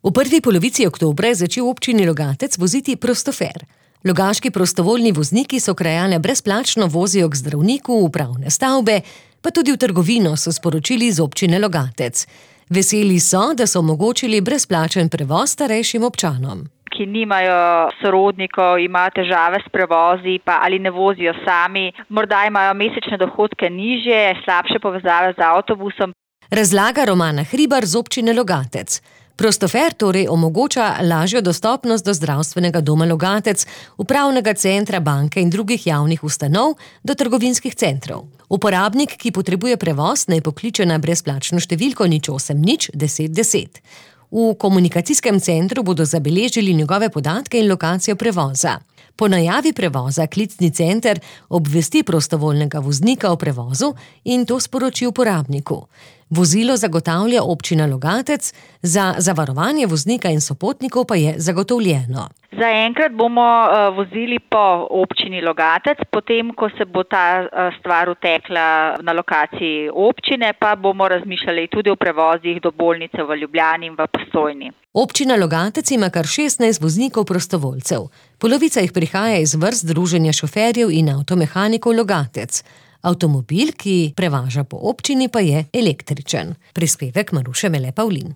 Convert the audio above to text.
V prvi polovici oktobra je začel občini Logatec voziti Prostofer. Logaški prostovoljni vozniki so krajane brezplačno vozijo k zdravniku, v upravne stavbe, pa tudi v trgovino, so sporočili iz občine Logatec. Veseli so, da so omogočili brezplačen prevoz starejšim občanom. Ki nimajo sorodnikov, imajo težave s prevozi, pa ali ne vozijo sami, morda imajo mesečne dohodke nižje, slabše povezave z avtobusom. Razlaga Romana Hribar z občine Logatec. Prostofer torej omogoča lažjo dostopnost do zdravstvenega doma Logatec, upravnega centra, banke in drugih javnih ustanov do trgovinskih centrov. Uporabnik, ki potrebuje prevoz, naj pokliče na brezplačno številko 080 10 10. V komunikacijskem centru bodo zabeležili njegove podatke in lokacijo prevoza. Po najavi prevoza klicni center obvesti prostovoljnega voznika o prevozu in to sporoči uporabniku. Vozilo zagotavlja občina Logatec, za zavarovanje voznika in sopotnikov pa je zagotovljeno. Zaenkrat bomo vozili po občini Logatec, potem, ko se bo ta stvar utekla na lokaciji občine, pa bomo razmišljali tudi o prevozih do bolnice v Ljubljani in v Postojni. Občina Logatec ima kar 16 voznikov prostovoljcev. Polovica jih prihaja iz vrst Združenja šoferjev in avtomehanikov Logatec. Avtomobil, ki prevaža po občini, pa je električen. Prispevek Maruše Mele Pavlin.